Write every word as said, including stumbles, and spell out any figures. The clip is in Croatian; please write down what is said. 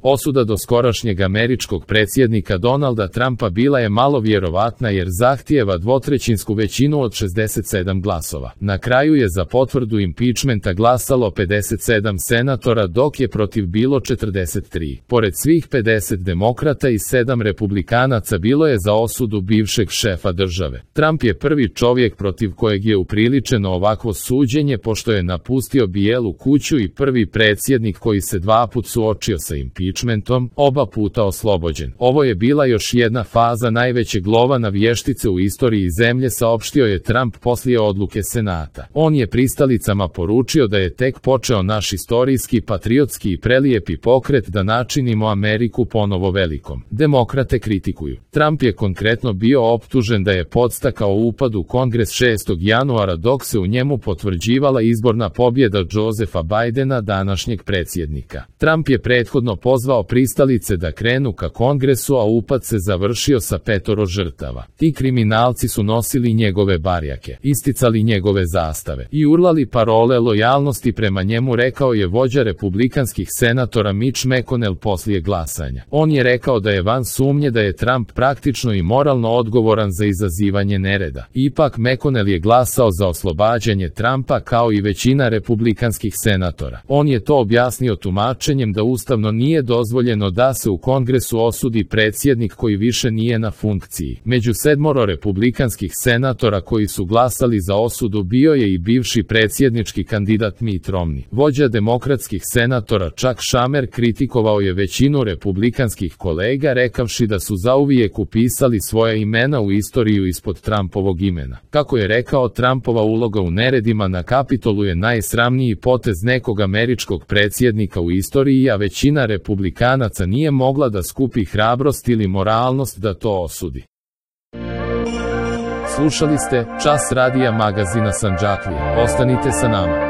Osuda doskorašnjeg američkog predsjednika Donalda Trumpa bila je malo vjerovatna jer zahtijeva dvotrećinsku većinu od šezdeset sedam glasova. Na kraju je za potvrdu impičmenta glasalo pedeset sedam senatora dok je protiv bilo četrdeset tri. Pored svih pedeset demokrata i sedam republikanaca bilo je za osudu bivšeg šefa države. Trump je prvi čovjek protiv kojeg je upriličeno ovakvo suđenje pošto je napustio Bijelu kuću i prvi predsjednik koji se dva put suočio sa impičmentom. Oba puta oslobođen. Ovo je bila još jedna faza najvećeg lova na vještice u istoriji zemlje, saopštio je Trump poslije odluke Senata. On je pristalicama poručio da je tek počeo naš istorijski, patriotski i prelijepi pokret da načinimo Ameriku ponovo velikom. Demokrate kritikuju. Trump je konkretno bio optužen da je podstakao upad u Kongres šestog januara dok se u njemu potvrđivala izborna pobjeda Josepha Bidena, današnjeg predsjednika. Trump je prethodno pozvao pristalice da krenu ka Kongresu, a upad se završio sa petoro žrtava. Ti kriminalci su nosili njegove barjake, isticali njegove zastave i urlali parole lojalnosti prema njemu, rekao je vođa republikanskih senatora Mitch McConnell poslije glasanja. On je rekao da je van sumnje da je Trump praktično i moralno odgovoran za izazivanje nereda. Ipak McConnell je glasao za oslobađanje Trumpa kao i većina republikanskih senatora. On je to objasnio tumačenjem da ustavno nije dozvoljeno da se u Kongresu osudi predsjednik koji više nije na funkciji. Među sedmoro republikanskih senatora koji su glasali za osudu bio je i bivši predsjednički kandidat Mitt Romney. Vođa demokratskih senatora Chuck Schumer kritikovao je većinu republikanskih kolega rekavši da su zauvijek upisali svoja imena u istoriju ispod Trumpovog imena. Kako je rekao, Trumpova uloga u neredima na Kapitolu je najsramniji potez nekog američkog predsjednika u istoriji, a većina republikanaca nije mogla da skupi hrabrost ili moralnost da to osudi. Slušali ste Čas radija magazina Sandžaklije. Ostanite sa nama.